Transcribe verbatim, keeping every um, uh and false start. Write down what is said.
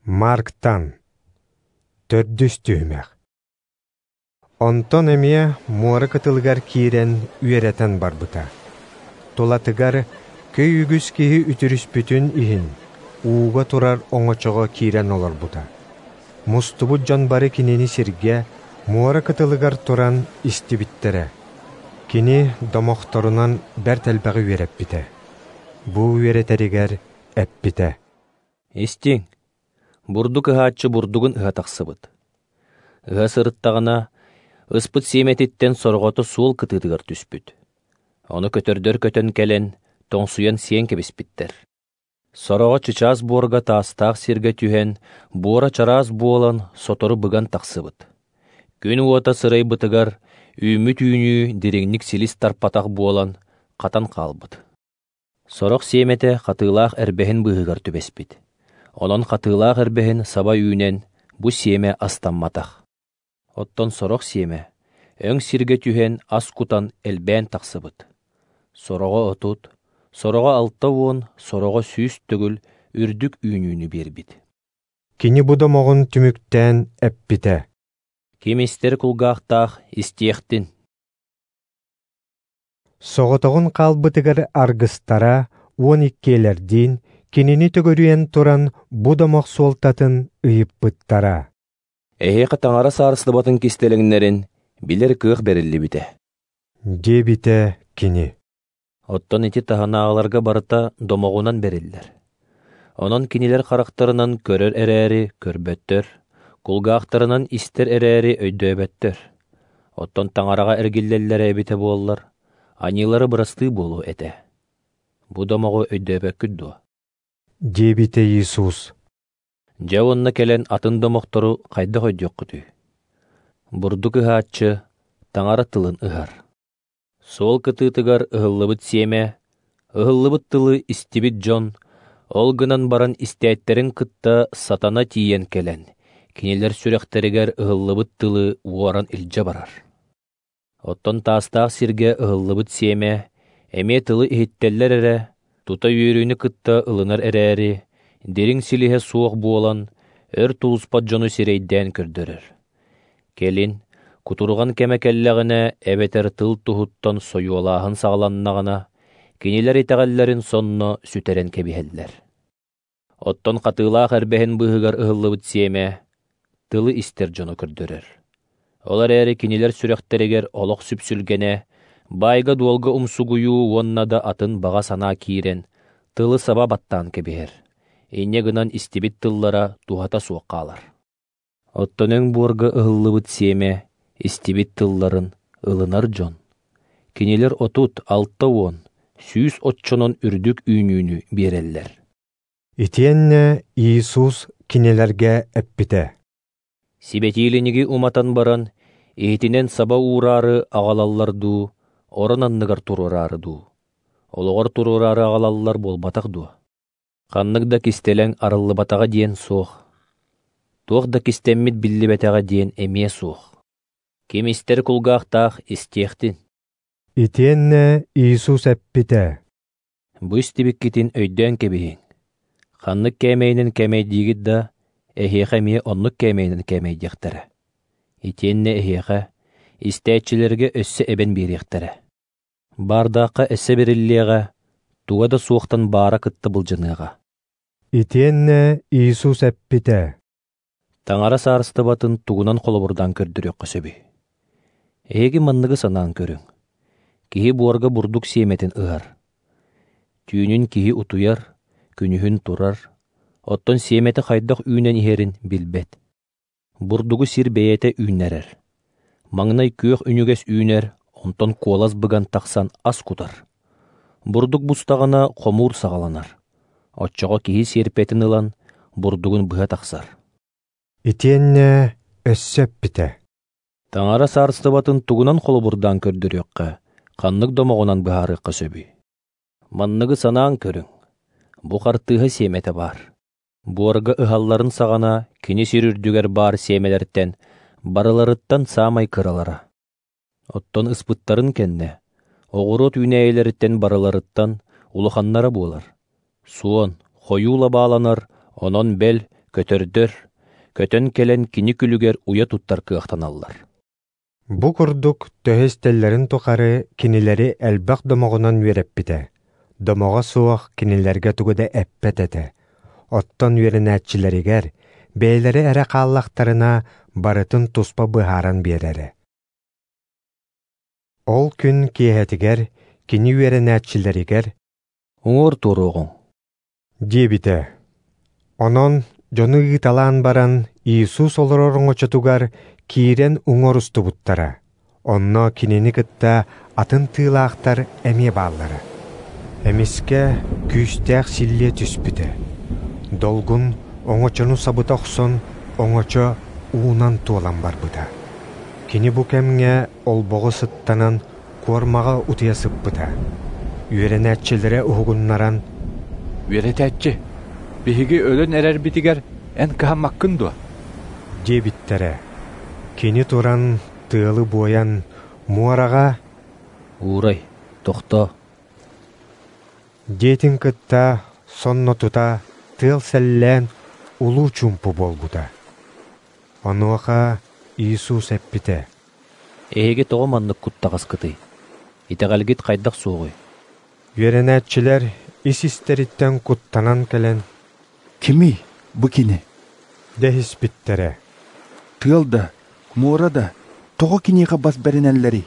Марктан төрдүс түһүмэх. Онтон эмиэ муора кытылыгар киирэн үөрэтэн барбыта. Тулатыгар көй үгүс киһи үтүрүспүтүн иһин ууга турар оҥочоҕо киирэн олорбута. Мустубут дьон бары кинини сиргэ, муора кытылыгар туран истибиттэрэ. Кини домохторунан бэрт элбэҕи үөрэппитэ. Бу үөрэтэригэр эппитэ. Истиҥ, бурдук ыһааччы бурдугун ыһа тахсыбыт. Ыһа сырыттаҕына, ыспыт сиэмэтиттэн сорҕото суол кытыытыгар түспүт. Ону көтөрдөр көтөн кэлэн, тоҥсуйан сиэн кэбиспиттэр. Сороҕо чычаас буорга таастаах сиргэ түһэн, буора чараас буолан, сотору быган тахсыбыт. Күн уота сырайбытыгар үүммүт үүнүү дириҥник силис тарпатах буолан, хатан хаалбыт. Сорох сиэмэтэ хатыылаах эрбэһин быыһыгар түбэспит. Онон хатыылаах эрбэһин саба үүнэн, бу сиэмэ астамматах. Оттон сорох сиэмэ өҥ сиргэ түһэн ас кутан элбээн тахсыбыт. Сороҕо отут, сороҕо алта уон, сороҕо сүүс төгүл үрдүк үүнүүнү биэрбит. Кини бу домоҕун түмүктээн эппитэ. Ким истэр кулгаахтаах истиэхтин. Соҕотоҕун хаалбытыгар аргыстара уон иккиэлэрдиин кинини төгүрүйэн туран бу домох суолтатын ыйыппыттара. Эһиэхэ таҥара саарыстыбатын кистэлэҥнэрин билэр кыах бэриллибитэ. Диэбитэ кини. Оттон ити таһынааҕыларга барыта домоҕунан бэриллэр. Онон кинилэр харахтарынан көрөр эрээри көрбөттөр, кулгаахтарынан истэр эрээри өйдөөбөттөр. Оттон таҥараҕа эргиллэллэрэ эбитэ буоллар, аньыылары бырастыы буолуо этэ. Бу домоҕу өйдөөбөккүт дуо? Диэбитэ Иисус. Дьэ уонна кэлэн атын домохтору хайдах өйдүөххүтүй? Бурдук ыһааччы таҥара тылын ыһар. Суол кытыытыгар ыһыллыбыт сиэмэ, ыһыллыбыт тылы истибит дьон, ол гынан баран истээттэрин кытта сатана тиийэн кэлэн, кинилэр сүрэхтэригэр ыһыллыбыт тылы уоран илдьэ барар. Оттон таастаах сиргэ ыһыллыбыт сиэмэ, эмиэ тылы иһиттэллэр эрэ, тута үөрүүнү кытта ылынар эрээри, дириҥ силиһэ суох буолан, өр тулуспат дьону сирэйдээн көрдөрөр. Кэлин, кутурҕан кэмэ кэллэҕинэ, эбэтэр тыл туһуттан сойуолааһын саҕаланнаҕына, кинилэр итэҕэллэрин сонно сүтэрэн кэбиһэллэр. Оттон хатыылаах эрбэһин быыһыгар ыһыллыбыт сиэмэ, тылы истэр дьону көрдөрөр. Ол эрээри кинилэр сүрэхтэригэр олох сүпсүлгэнэ, баайга-дуолга умсугуйуу уонна да атын баҕа санаа киирэн, тылы саба баттаан кэбиһэр. Инньэ гынан истибит тыллара туһата суох хаалар. Оттон өҥ буорга ыһыллыбыт сиэмэ, истибит тылларын ылынар дьон. Кинилэр отут, алта уон, сүүс оччонон үрдүк үүнүүнү биэрэллэр. Итиэннэ Иисус кинилэргэ эппитэ. Сибэтиилиниги уматан баран, иһитинэн саба уураары аҕалаллар дуу, орон анныгар туруораары дуу. Олоҕор туруораары аҕалаллар буолбатах дуо? Ханнык да кистэлэҥ арыллыбатаҕа диэн суох. Туох да кистэммит биллибэтэҕэ диэн эмиэ суох. Ким истэр кулгаахтаах истиэхтин. Итиэннэ Иисус эппитэ. Бу истибиккитин өйдөөн кэбиһиҥ. Ханнык кээмэйинэн кээмэйдиигит да, эһиэхэ эмиэ оннук кээмэйинэн кээмэйдиэхтэрэ. Итиэннэ эһиэхэ, истээччилэргэ өссө эбэн биэриэхтэрэ. Баардаахха эссе бэриллиэҕэ, туга да суохтан баара кытта былдьаныаҕа. Итиэннэ Иисус эппитэ. Таҥара саарыстыбатын тугунан холобурдаан көрдөрүөххэ сөбүй? Эһиги манныгы санаан көрүҥ. Киһи буорга бурдук сиэмэтин ыһар. Түүнүн киһи утуйар, күнүһүн турар, оттон сиэмэтэ хайдах үүнэн иһэрин билбэт. Бурдугу сир бэйэтэ үүннэрэр. Маҥнай күөх үнүгэс үүнэр, онтон куолас быган тахсан ас кутар. Бурдук бустаҕына хомуур саҕаланар. Оччоҕо киһи сиэрпэтин ылан, бурдугун быһа тахсар. Итиэннэ өссө эппитэ. Таҥара саарыстыбатын тугунан холобурдаан көрдөрүөххэ, ханнык домоҕунан быһаарыахха сөбүй? Манныгы санаан көрүҥ. Бу хартыыһа сиэмэтэ баар. Буорга ыһалларын саҕана кини сир үрдүгэр баар сиэмэлэртэн барыларыттан саамай кыралара. Оттон ыспыттарын кэннэ, оҕуруот үүнээйилэриттэн барыларыттан улаханнара буолар. Суон, хойуу лабааланар, онон бэл Көтөрдөр көтөн кэлэн кини күлүгэр уйа туттар кыахтаналлар. Бу курдук төһө истэллэрин тухары кинилэри элбэх домоҕунан үөрэппитэ. Домоҕо суох кинилэргэ тугу да эппэт этэ. Оттон үөрэнээччилэригэр бэйэлэрэ эрэ хааллахтарына барытын туспа быһааран биэрэрэ. Ол күн киэһэтигэр кини үөрэнээччилэригэр «Уҥуор туоруоҕуҥ» диэбитэ. Онон дьону ыыталаан баран Иисус олорор оҥочотугар киирэн уҥуор устубуттара. Онно кинини кытта атын тыылаахтар эмиэ бааллара. Эмискэ күүстээх силлиэ түспүтэ. Долгун оҥочону сабыта охсон, оҥочо уунан туолан барбыта. Кини бу кэмҥэ олбоҕу сыттанан куормаҕа утуйа сыппыта. Үөрэнээччилэрэ уһугуннаран «Үөрэтээччи, биһиги өлөн эрэрбитигэр эн кыһаммаккын дуо?» диэбиттэрэ. Кини туран тыалы буойан муораҕа «Уурай, тохтоо» диэтин кытта сонно тута тыал сэллээн улуу чуумпу буолбута. Онуоха Иисус эппитэ: «Эһиги тоҕо маннык куттаҕаскытый? Итэҕэлгит хайдах суоҕуй?» Үөрэнээччилэр ис-истэриттэн куттанан кэлэн «Кимий бу кини?» дэһиспиттэрэ. Тыал да, муора да тоҕо киниэхэ бас бэринэллэрий?